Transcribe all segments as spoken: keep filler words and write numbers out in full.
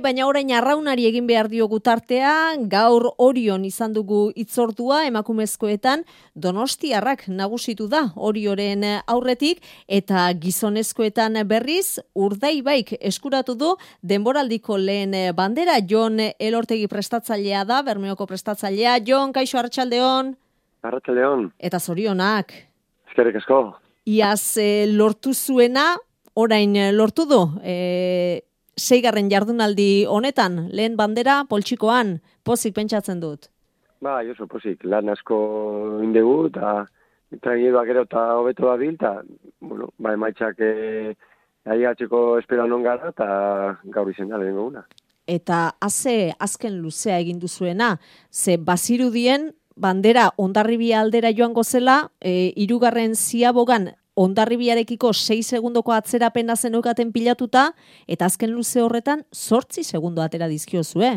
Baina orain arraunari egin behar diogu tartea, gaur Orion izan dugu itzordua emakumezkoetan, Donostiarrak nagusitu da Orioren aurretik, eta gizonezkoetan berriz Urdaibaik eskuratu du denboraldiko lehen bandera. Jon Elortegi prestatzailea da, Bermeoko prestatzailea. Jon, kaixo, arratsaldeon. Arratsaldeon. Eta zorionak. Eskerrik asko. Iaz e, lortu zuena, orain lortu du, e, seigarren jardunaldi honetan, lehen bandera poltsikoan, pozik pentsatzen dut. Ba, oso pozik, lan asko indegu, eta traineroak gero eta hobeto da bil, eta, bueno, ba, emaitzak eh, aigatzeko espero non gara, eta gaur izen da lehenko guna. Eta haze azken luzea egin duzuena, ze bazirudien bandera Hondarribia aldera joango zela, e, hirugarren ziabogan Hondarribiarekiko sei segundoko atzerapena zeneukaten pilatuta, eta azken luze horretan zortzi segundo atera dizkiozue.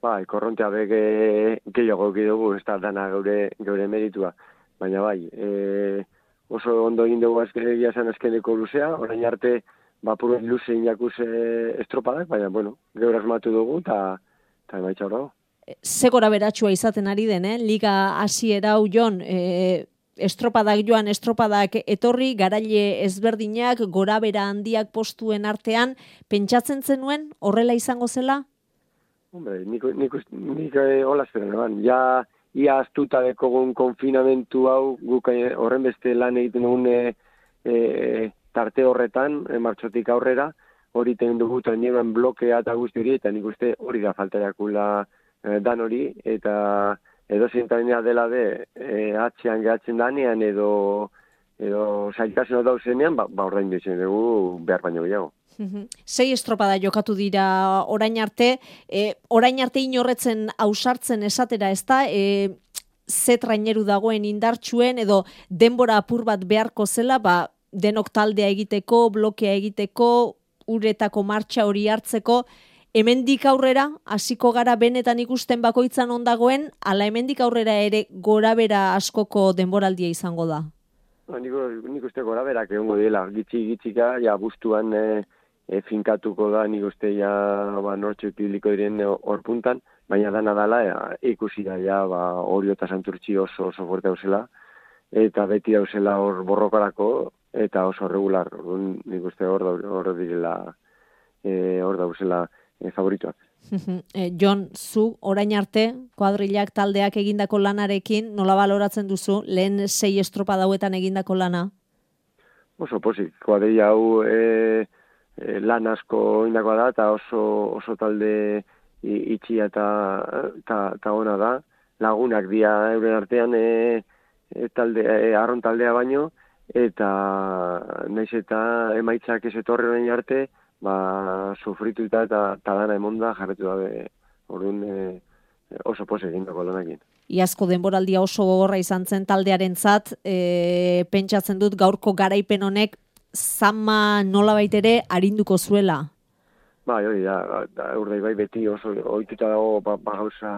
Bai, korrontea bege gehiago dugu, ez da dana geure, geure meritua. Baina bai, e, oso ondo egin dugu azkenegia zen azkeneko luzea, orain arte bapuruen luze inakuz e, estropadak, baina, bueno, geure asmatu dugu, eta emaitza hor dago. Ze gora beratxua izaten ari den, eh? Liga hasiera hau, Jon, e, estropadak joan, estropadak etorri, garaile ezberdinak, gorabera handiak postuen artean, pentsatzen zenuen horrela izango zela? Hombre, nik, nik, nik eh, hola esperen, eban. Ja, ia astuta dekogun konfinamentu hau, guk eh, horren beste lan egiten dugun eh, eh, tarte horretan, eh, martxotik aurrera, hori ten dugu traineroen blokea eta guzti hori, eta nik uste hori da faltariakula eh, dan hori, eta edo zintainea dela de e, atzean gehatzen danean edo edo zailtasun dauzenean, ba, ba orain ditzen dugu behar baino gehiago. Sei estropada jokatu dira orain arte, e, orain arte inorretzen ausartzen esatera, ezta? E, ze traineru dagoen indartsuen edo denbora apur bat beharko zela, ba, denok taldea egiteko, blokea egiteko, uretako martxa hori hartzeko, hemendik aurrera, hasiko gara benetan ikusten bakoitzan ondagoen, ala hemendik aurrera ere gorabera askoko denboraldia izango da? No, nik, nik uste goraberak egongo dela, gitxi gitxika, ja bustuan e, e, finkatuko da, nik uste ja ba, nortxo publiko diren hor puntan, baina dana dala e, ikusi da ja ba, Orio eta Santurtzi oso oso fuerte hauzela, eta beti hauzela hor borrokarako, eta oso regular, nik uste hor hor direla, e, hor dauzela, E, favorituak. e, Jon, zu orain arte kuadrilak taldeak egindako lanarekin nola baloratzen duzu lehen sei estropa dauetan egindako lana? Oso pozik, kuadrilla hau e, e, lan asko indakoa da eta oso oso talde itxia eta ta, ta ona da. Lagunak dira euren artean e, e, talde, e, arron taldea baino, eta naiz eta emaitzak ez etorri orain arte, ba, sufrituta eta dana emonda jarretu dabe, orduan e, oso pose egin dago lanakin. Iazko denboraldia oso gogorra izan zen taldearentzat, e, pentsatzen dut gaurko garaipen honek zama nolabait ere arinduko zuela. Bai, hori da, da Urdaibai beti oso ohituta dago ba, ba gauza,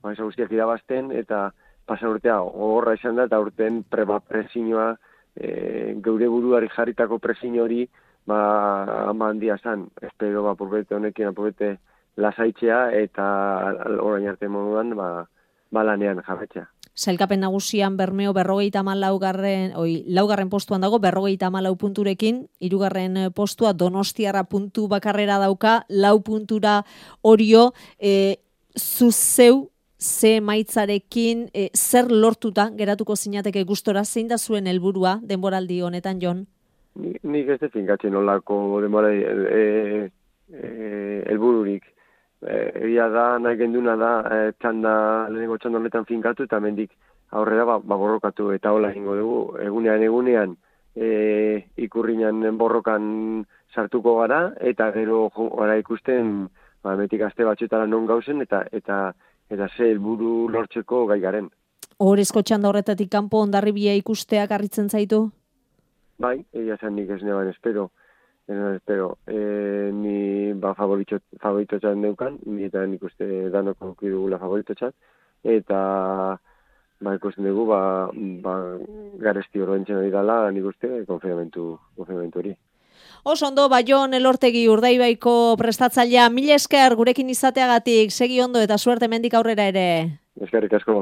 ba, guztiak irabazten, eta pasa urtea gogorra izan da, eta urten preba presioa, e, geure buruari jarritako presio hori, ba, ama handia zan, espero ba, purbete honekin apurete lasaitzea eta orain arte moduan ba, ba lanean jarretzea. Sailkapen nagusian Bermeo berrogeita hamalau garren, oi, laugarren postuan dago, berrogeita hamalau punturekin, hirugarren postua Donostiarra puntu bakarrera dauka, lau puntura Orio, e, zuzeu, ze maitzarekin, e, zer lortuta geratuko zinateke gustora, zein da zuen helburua denboraldi honetan, Jon? Nik, nik ez defin gatzen olako demora e, e, elbururik. Egia da, nahi genduna da, e, txanda, lehenengo txanda honetan finkatu, eta mendik aurrera ba, ba borrokatu, eta hola egingo dugu. Egunean, egunean, e, ikurrinan borrokan sartuko gara, eta gero gara ikusten, ba, metik aste batxetara non gauzen, eta eta eta ze helburu lortzeko gai garen. Ohorezko txanda horretatik kanpo Hondarribia ikusteak harritzen zaitu? Bai, egia zen nik ez neban espero, ez neban espero, e, ni ba favorito txan neukan, ni eta nik uste danoko dugula favorito txan, eta ba ikusten dugu, ba, ba garesti horrentzen hori dala, nik uste konfiamentu, konfiamentu hori. Oso ondo, Baion Elortegi Urdaibaiko prestatzailea, mila esker gurekin izateagatik, segi ondo eta suerte mendik aurrera ere. Eskerrik asko.